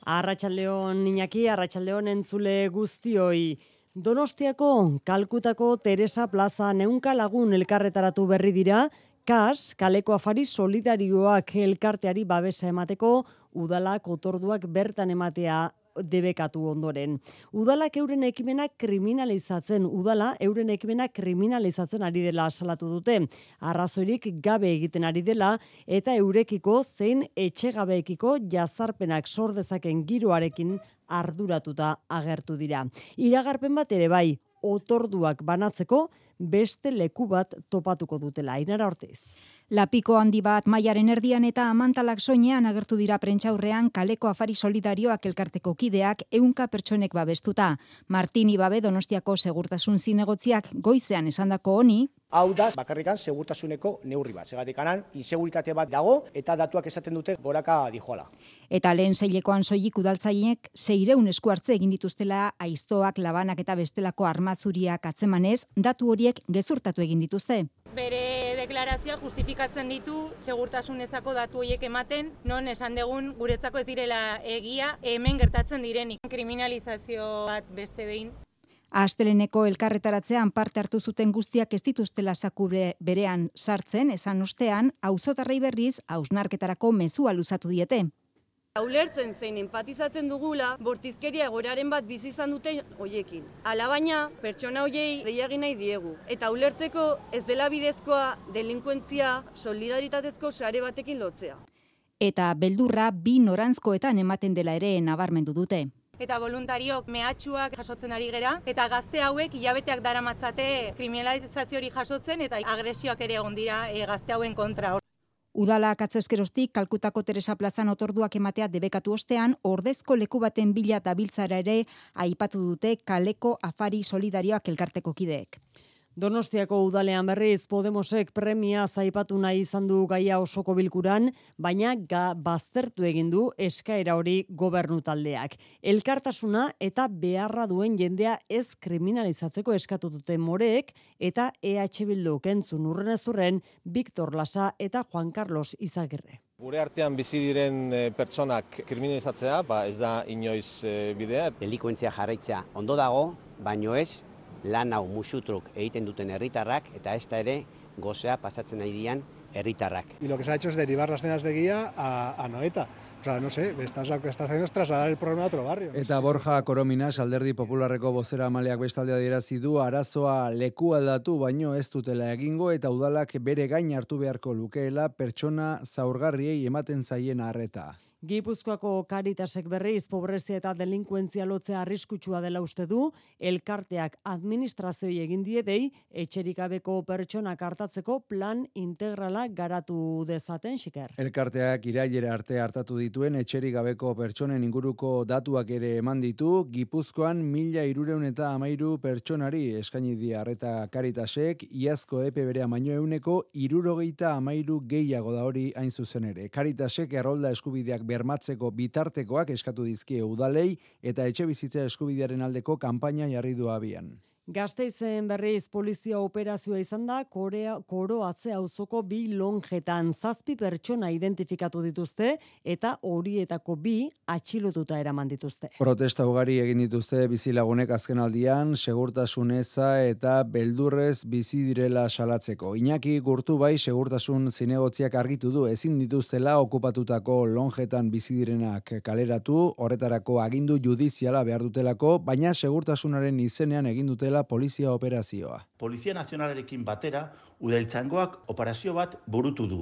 Arratsaldeon Iñaki, arratsaldeon entzule guztioi. Donostiako Kalkutako Teresa Plaza ehunka lagun elkarretaratu berri dira, KAS, Kaleko Afari Solidarioak elkarteari babesa emateko udalak otorduak bertan ematea debekatu ondoren. Udala euren ekimena kriminalizatzen ari dela salatu dute. Arrazoirik gabe egiten ari dela eta eurekiko zein etxegabeekiko jazarpenak sor dezaken giroarekin arduratuta agertu dira. Iragarpen bat ere bai, otorduak banatzeko beste leku bat topatuko dutela. Ainara Ortiz. Lapiko handi bat mailaren erdian eta amantalak soinean agertu dira prentsaurrean Kaleko Afari Solidarioak elkarteko kideak 100 pertsonek babestuta. Martini Babe Donostiako segurtasun zinegotziak goizean esandako honi, hau da, bakarrikan segurtasuneko neurri bat. Segatikanan, inseguritate bat dago eta datuak esaten dute goraka dijoala. Eta lehen seilekoan soilik udaltzainek 600 esku hartze egin dituztela aiztoak, labanak eta bestelako armazuriak atzemanez, datu horiek gezurtatu egin dituzte. Bere deklarazioa justifikatzen ditu segurtasunezako datu horiek ematen, non esan degun guretzako ez direla egia hemen gertatzen direnik. Kriminalizazio bat beste behin. Asteleneko elkarretaratzean parte hartu zuten guztiak ez dituztela sakure berean sartzen, esan ostean, auzotarrei berriz hausnarketarako mezua luzatu diete. Ulertzen zein empatizatzen dugula, bortizkeria egoeraren bat bizi izan dute hoiekin. Alabaina, pertsona hoiei deia egin nahi diegu. Eta ulertzeko ez dela bidezkoa delinkuentzia solidaritatezko sare batekin lotzea. Eta beldurra bi noranzkoetan ematen dela ere nabarmendu dute. Eta voluntariok mehatxuak jasotzen ari gera, eta gazte hauek hilabeteak daramatzate kriminalizazio hori jasotzen, eta agresioak ere egon dira gazte hauen kontra. Udalak atzo eskeroztik Kalkutako Teresa Plazan otorduak ematea debekatu ostean, ordezko leku baten bila dabiltzara ere aipatu dute Kaleko Afari Solidarioak elkarteko kideek. Donostiako udalean berriz Podemosek premia zaipatu nahi izan du gaia osoko bilkuran, baina baztertu egin du eskaera hori gobernu taldeak. Elkartasuna eta beharra duen jendea ez kriminalizatzeko eskatu dute Moreek eta EH Bilduk entzun urrenezurren Victor Lasa eta Juan Carlos Izagirre. Gure artean bizi diren pertsonak kriminalizatzea, ez da inoiz bidea. Delinkuentzia jarraitzea ondo dago, baino ez lan hau musutruk egiten duten herritarrak eta ez da ere gozea pasatzen nahi dian herritarrak. Y lo que se ha hecho es derivar las cenas de guía a Noeta. O sea, no sé, estás haciendo es trasladar el problema a otro barrio. Eta Borja Korominas, Alderdi Popularreko bozeramaileak bestalde adierazi du arazoa leku aldatu baino ez dutela egingo eta udalak bere gain hartu beharko lukeela pertsona zaurgarriei ematen zaien arreta. Gipuzkoako Caritasek berriz pobrezia eta delinkuentzia lotzea arriskutsua dela uste du, elkarteak administrazioi egin diedei etxerik gabeko pertsonak hartatzeko plan integrala garatu dezaten, Xiker. Elkarteak irailera arte hartatu dituen etxerik gabeko pertsonen inguruko datuak ere eman ditu, Gipuzkoan 1313 pertsonari eskaini die arreta Caritasek, iazko epe berean baino 173 gehiago da hori hain zuzen ere. Caritasek errolda eskubideak bermatzeko bitartekoak eskatu dizkie udalei eta etxebizitza eskubidearen aldeko kanpaina jarri du abian. Gasteizen berriz polizia operazioa izan da Koroatze auzoko 2 lonjetan 7 pertsona identifikatu dituzte eta horietako 2 atxilotuta eraman dituzte. Protesta ugari egin dituzte bizilagunek azkenaldian segurtasun eza eta beldurrez bizi direla salatzeko. Iñaki Gurtubai segurtasun zinegotziak argitu du ezin dituztela okupatutako lonjetan bizi direnak kaleratu, horretarako agindu judiziala behar dutelako, baina segurtasunaren izenean egin dutela polizia operazioa. Polizia Nazionalarekin batera, udaltzaingoak operazio bat burutu du.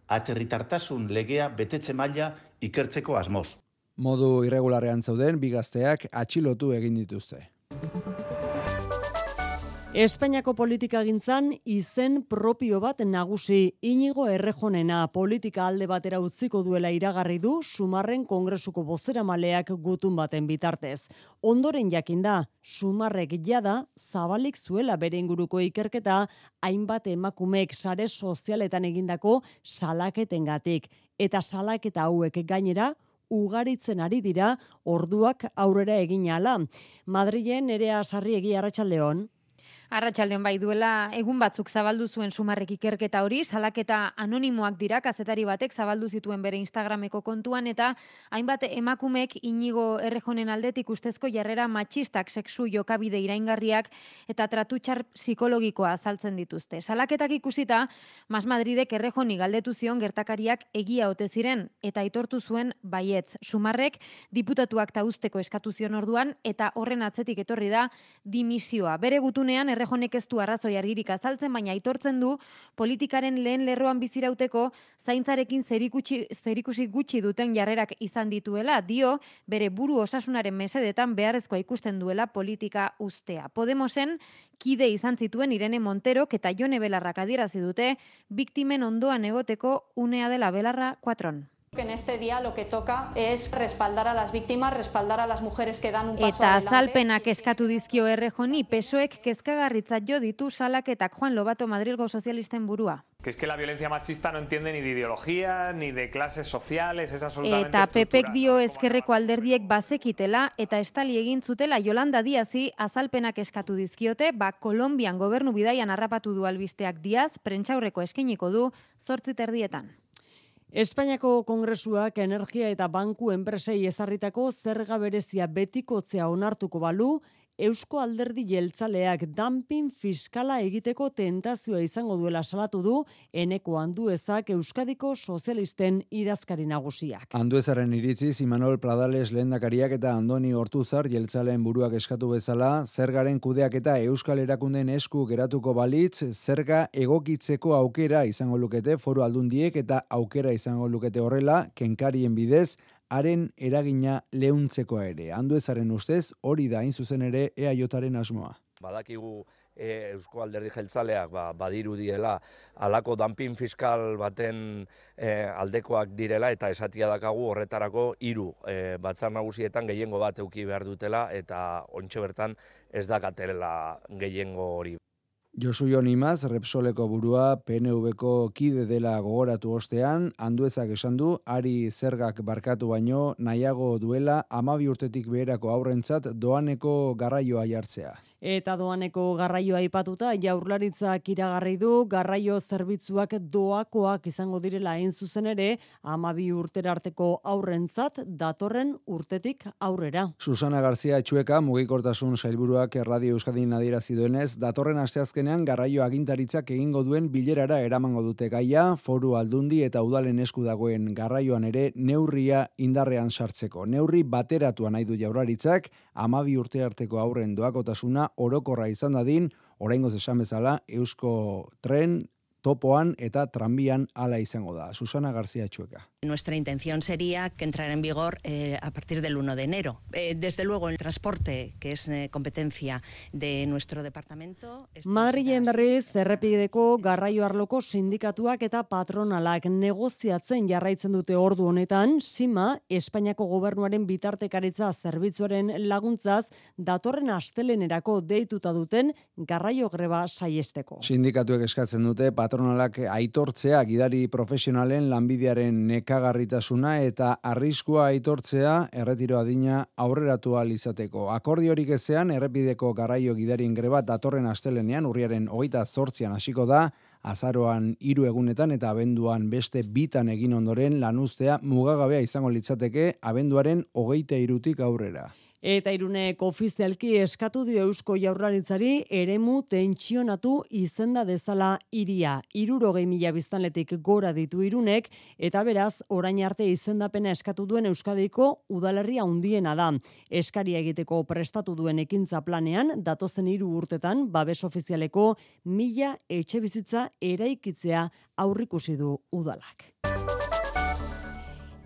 Atzerritartasun legea betetze maila ikertzeko asmoz. Modu irregularrean zauden, bi gazteak atxilotu egin dituzte. Espainiako politikagintzan izen propio bat nagusi. Iñigo Errejonena politika alde batera utziko duela iragarri du Sumarren Kongresuko bozeramaleak gutun baten bitartez. Ondoren jakinda, Sumarrek jada zabalik zuela bere inguruko ikerketa hainbat emakumeek sare sozialetan egindako salaketengatik. Eta salaketa hauek gainera ugaritzen ari dira orduak aurrera egin ahala. Madrilen Nerea Sarriegi, arratsaldeon. Arratsaldeon bai, duela egun batzuk zabaldu zuen Sumarrek ikerketa hori, salaketa anonimoak dira, kazetari batek zabaldu zituen bere Instagrameko kontuan, eta hainbat emakumek Inigo Errejonen aldetik ustezko jarrera matxistak, sexu jokabide iraingarriak eta tratutxar psikologikoa azaltzen dituzte. Salaketak ikusita, Mas Madridek Errejoni galdetu zion gertakariak egia ote ziren eta aitortu zuen baietz. Sumarrek diputatuak tauzteko eskatu zion orduan eta horren atzetik etorri da dimisioa. Bere gutunean Errejonek ez du arrazoi argirik azaltzen, baina aitortzen du politikaren lehen lerroan bizirauteko zaintzarekin zerikusi gutxi duten jarrerak izan dituela, dio bere buru osasunaren mesedetan beharrezkoa ikusten duela politika uztea. Podemosen kide izan zituen Irene Monterok eta Jone Belarrak adierazi dute biktimen ondoan egoteko unea dela Belarra 4. En este día lo que toca es respaldar a las víctimas, respaldar a las mujeres que dan un paso eta adelante. azalpenak eskatu dizkio Errejoni, PSOEk kezkagarritzat jo ditu salaketak. Juan Lobato, Madrilgo sozialisten burua. Que es que la violencia machista no entiende ni de ideología, ni de clases sociales, es absolutamente Eta estructural. PPek dio ezkerreko alderdiek bazekitela eta estali egin zutela Yolanda Díazi azalpenak eskatu dizkiote, Kolonbian gobernu bidaian harrapatu du albisteak Díaz, prentsaurreko eskainiko du 8:30. Espainiako Kongresuak energia eta banku enpresei ezarritako zerga berezia betikotzea onartuko balu, Eusko Alderdi Jeltzaleak dumping fiskala egiteko tentazioa izango duela salatu du Eneko Anduezak Euskadiko sozialisten idazkari nagusiak. Anduezaren iritziz Imanol Pradales lehendakariak eta Andoni Ortuzar jeltzaleen buruak eskatu bezala, zergaren kudeaketa Euskal Erakundeen esku geratuko balitz, zerga egokitzeko aukera izango lukete foru aldundiek eta aukera izango lukete horrela, kenkarien bidez, haren eragina leuntzeko ere. Anduezaren ustez, hori da hain zuzen ere EAJaren asmoa. Badakigu Eusko Alderdi Jeltzaleak badirudiela halako dumping fiskal baten aldekoak direla eta esatia dakagu horretarako 3 batzar nagusietan gehiengo bat eduki behar dutela eta ontxe bertan ez dakatela gehiengo hori. Josu Jon Imaz, Repsoleko burua, PNV-ko kide dela gogoratu ostean, Anduezak esan du, ari zergak barkatu baino, nahiago duela 12 urtetik beherako aurrentzat doaneko garraioa jartzea. Eta doaneko garraioa aipatuta Jaurlaritzak iragarri du garraio zerbitzuak doakoak izango direla hain zuzen ere 12 urtera arteko aurrentzat datorren urtetik aurrera. Susana Garzia Etxueka, mugikortasun sailburuak Radio Euskadin adierazi duenez, datorren asteazkenean garraio agintaritzak egingo duen bilerara eramango dute gaia, foru aldundi eta udalen esku dagoen garraioan ere neurria indarrean sartzeko. Neurri bateratua nahi du Jaurlaritzak, 12 urte arteko aurren doakotasuna orokorra izan dadin, oraingoz esan bezala, Eusko Tren, topoan eta tranbian hala izango da. Susana Garzia Etxueka. Nuestra intención sería que entrara en vigor a partir del 1 de enero. Desde luego, el transporte, que es competencia de nuestro departamento... Madrilen berriz, errepideko garraio arloko sindikatuak eta patronalak negoziatzen jarraitzen dute ordu honetan, SIMA, Espainiako gobernuaren bitartekaritza zerbitzuaren laguntzaz, datorren astelenerako deituta duten garraio greba saiesteko. Sindikatuek eskatzen dute patronalak aitortzea gidari profesionalen lanbidearen nekagarritasuna eta arriskua aitortzea erretiro adina aurreratu ahal izateko. Akordiorik ezean errepideko garraio gidarien greba datorren astelenean urriaren 28an hasiko da, azaroan 3 egunetan eta abenduan beste 2 egin ondoren lanuztea mugagabea izango litzateke abenduaren 23tik aurrera. Eta Irunek ofizialki eskatu dio Eusko Jaurlaritzari eremu tentsionatu izenda dezala hiria. 60.000 biztanletik gora ditu Irunek eta beraz orain arte izendapena eskatu duen Euskadiko udalerria handiena da. Eskaria egiteko prestatu duen ekintza planean datozen 3 urtetan babes ofizialeko 1000 etxebizitza eraikitzea aurrikusi du udalak.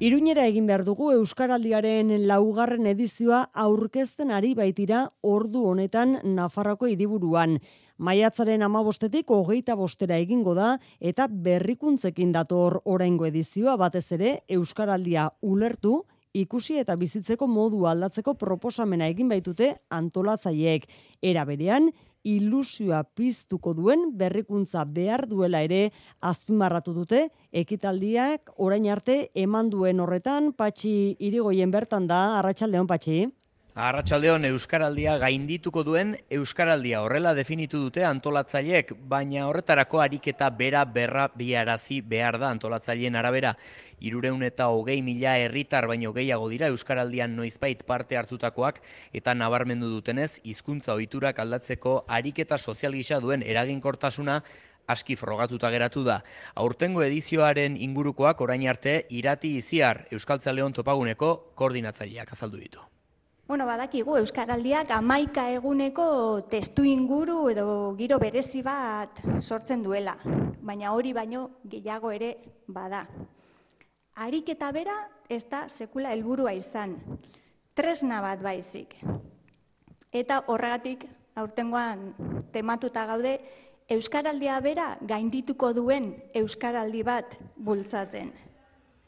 Iruñera egin behar dugu Euskaraldiaren 4. edizioa aurkezten ari baitira ordu honetan Nafarroako hiriburuan. Maiatzaren 15etik 25era egingo da eta berrikuntzekin dator oraingo edizioa, batez ere Euskaraldia ulertu, ikusi eta bizitzeko modu aldatzeko proposamena egin baitute antolatzaileek. Era berean, ilusioa piztuko duen berrikuntza behar duela ere azpimarratu dute, ekitaldiak orain arte eman duen horretan. Patxi Irigoyen bertan da, arratsaldeon Patxi. Arratsaldeon, Euskaraldia gaindituko duen Euskaraldia horrela definitu dute antolatzaileek, baina horretarako ariketa bera berrabiarazi behar da antolatzaileen arabera. 320.000 herritar baino gehiago dira Euskaraldian noizbait parte hartutakoak eta nabarmendu dutenez hizkuntza ohiturak aldatzeko ariketa sozial gisa duen eraginkortasuna aski frogatuta geratu da. Aurtengo edizioaren ingurukoak orain arte Irati Iziar Euskaltzaleon topaguneko koordinatzaileak azaldu ditu. Badakigu Euskaraldiak 11 eguneko testu inguru edo giro berezi bat sortzen duela, baina hori baino gehiago ere bada. Ariketa bera ez da sekula helburua izan, tresna bat baizik. Eta horregatik aurtengoan tematuta gaude Euskaraldia bera gaindituko duen Euskaraldi bat bultzatzen.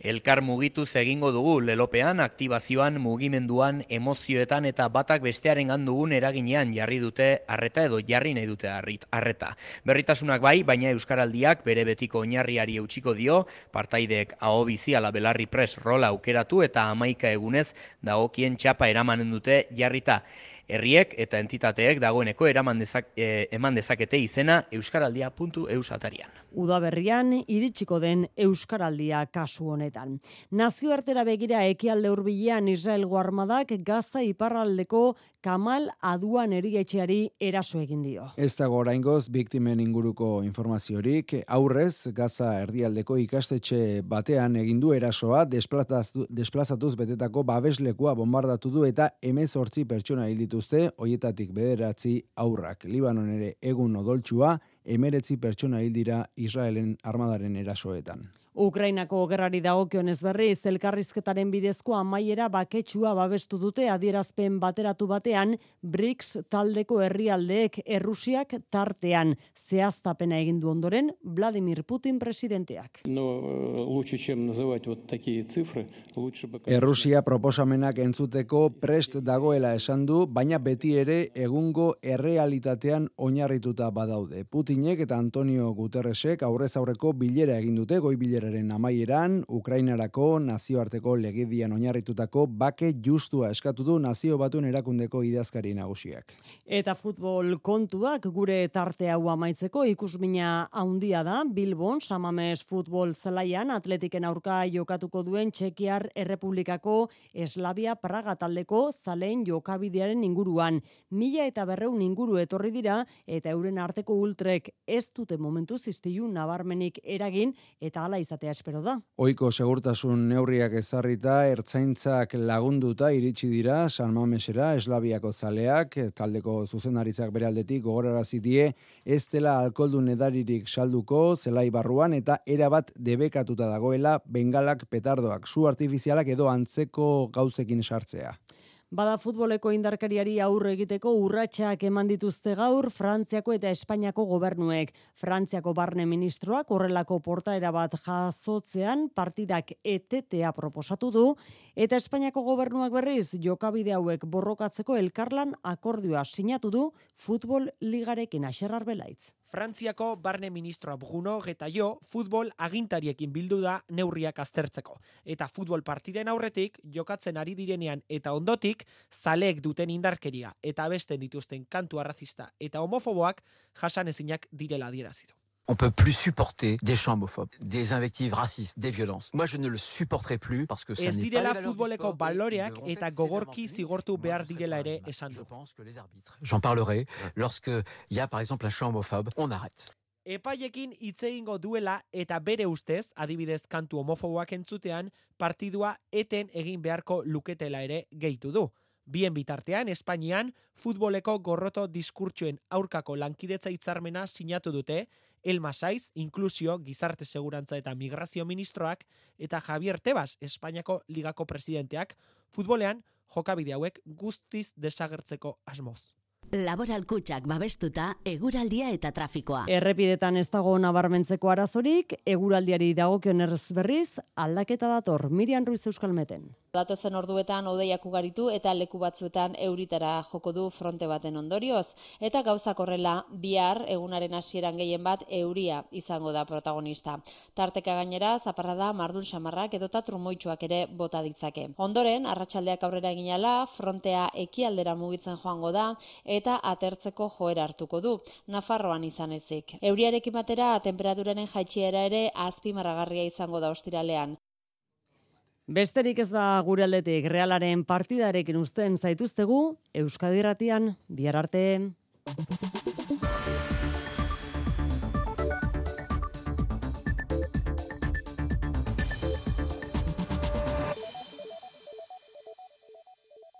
Elkar mugituz egingo dugu lelopean, aktibazioan, mugimenduan, emozioetan eta batak bestearengan dugun eraginean jarri dute arreta edo jarri nahi dute arreta. Berritasunak bai, baina Euskaraldiak bere betiko oinarriari eutsiko dio, partaideek aho bizi ala belarri pres rola aukeratu eta 11 egunez dagokien txapa eramanen dute jarrita. Herriek eta entitateek dagoeneko eman dezakete izena euskaraldia.eus atarian. Udaberrian iritsiko den Euskaraldia kasu honetan. Nazioartera begira ekialde hurbilean Israelgo armadak Gaza iparraldeko Kamal Aduan erietxeari eraso egin dio. Ez dago oraingoz biktimen inguruko informaziorik, aurrez Gaza erdialdeko ikastetxe batean egin du erasoa, desplazatuz betetako babeslekua bombardatu du eta 18 pertsona hil dituzte, hoietatik 9 haurrak. Libanon ere egun odoltsua, 19 pertsona hil dira Israelen armadaren erasoetan. Ukrainako gerrari dagokionez berriz, elkarrizketaren bidezko amaiera baketsua babestu dute adierazpen bateratu batean BRICS taldeko herrialdeek Errusiak tartean zehaztapena egin du ondoren Vladimir Putin presidenteak. Errusia proposamenak entzuteko prest dagoela esan du, baina beti ere egungo errealitatean oinarrituta badaude. Putinek eta Antonio Guterresek aurrez aurreko bilera egin dute, goi bilera amaieran, Ukrainarako nazioarteko legedian oinarritutako bake justua eskatu du Nazio Batuen erakundeko idazkari nagusiak. Eta futbol kontuak gure tarte hau amaitzeko ikusmina handia da, Bilbon, Samames futbol zelaian Atletiken aurka jokatuko duen Txekiar Errepublikako Eslavia Praga taldeko zaleen jokabidearen inguruan. 1.200 inguru etorri dira eta euren arteko ultrek ez dute momentuz istilu nabarmenik eragin eta hala izatea espero da. Ohiko segurtasun neurriak ezarrita, ertzaintzak lagunduta iritsi dira San Mamesera, Eslaviako zaleak, taldeko zuzendaritzak bere aldetik gogorarazi die, ez dela alkoholdun edaririk salduko zelai barruan eta erabat debekatuta dagoela bengalak, petardoak, su artifizialak edo antzeko gauzekin sartzea. Bada futboleko indarkariari aurre egiteko urratsak eman dituzte gaur Frantziako eta Espainiako gobernuek. Frantziako barne ministroak horrelako portaera bat jasotzean partidak etetea proposatu du eta Espainiako gobernuak berriz jokabide hauek borrokatzeko elkarlan akordioa sinatu du futbol ligarekin. Axerrar Belaitz. Frantziako barne ministroa Bruno Retailleau futbol agintariekin bildu da neurriak aztertzeko. Eta futbol partiden aurretik jokatzen ari direnean eta ondotik zaleek duten indarkeria eta abesten dituzten kantu arrazista eta homofoboak jasanezinak direla adierazi du. On peut plus supporter des chants homophobes, des invectives racistes, des violences. Moi je ne le supporterai plus parce que ça n'est pas direla futboleko baloreak eta gogorki zigortu behar direla ere esan du. J'en parlerai lorsque il y a par exemple un chant homophobe, on arrête. Epaiekin hitz egingo duela eta bere ustez, adibidez kantu homofoboak entzutean, partidua eten egin beharko luketela ere gehitu du. Bien bitartean, Espainian, futboleko gorroto diskurtsoen aurkako lankidetza hitzarmena sinatu dute, Elma Saiz, inklusio, gizarte segurantza eta migrazio ministroak, eta Javier Tebas, Espainiako ligako presidenteak, futbolean jokabide hauek guztiz desagertzeko asmoz. Laboral Kutxak babestuta eguraldia eta trafikoa. Errepidetan ez dago nabarmentzeko arazorik, eguraldiari dagokionez berriz aldaketa dator. Miriam Ruiz Euskalmeten. Datozen orduetan hodeiak ugaritu eta leku batzuetan euritara joko du fronte baten ondorioz. Eta gauzak horrela, bihar egunaren hasieran gehien bat euria izango da protagonista. Tarteka gainera, zaparrada, mardul samarrak edota trumoitsuak ere bota ditzake. Ondoren, arratsaldeak aurrera eginala, frontea ekialdera mugitzen joango da eta atertzeko joera hartuko du, Nafarroan izan ezik. Euriarekin batera, temperaturaren jaitsiera ere azpimarragarria izango da ostiralean. Besterik ez ba gure aldetik Realaren partidarekin uzten zaituztegu Euskadi Irratian bihar arte.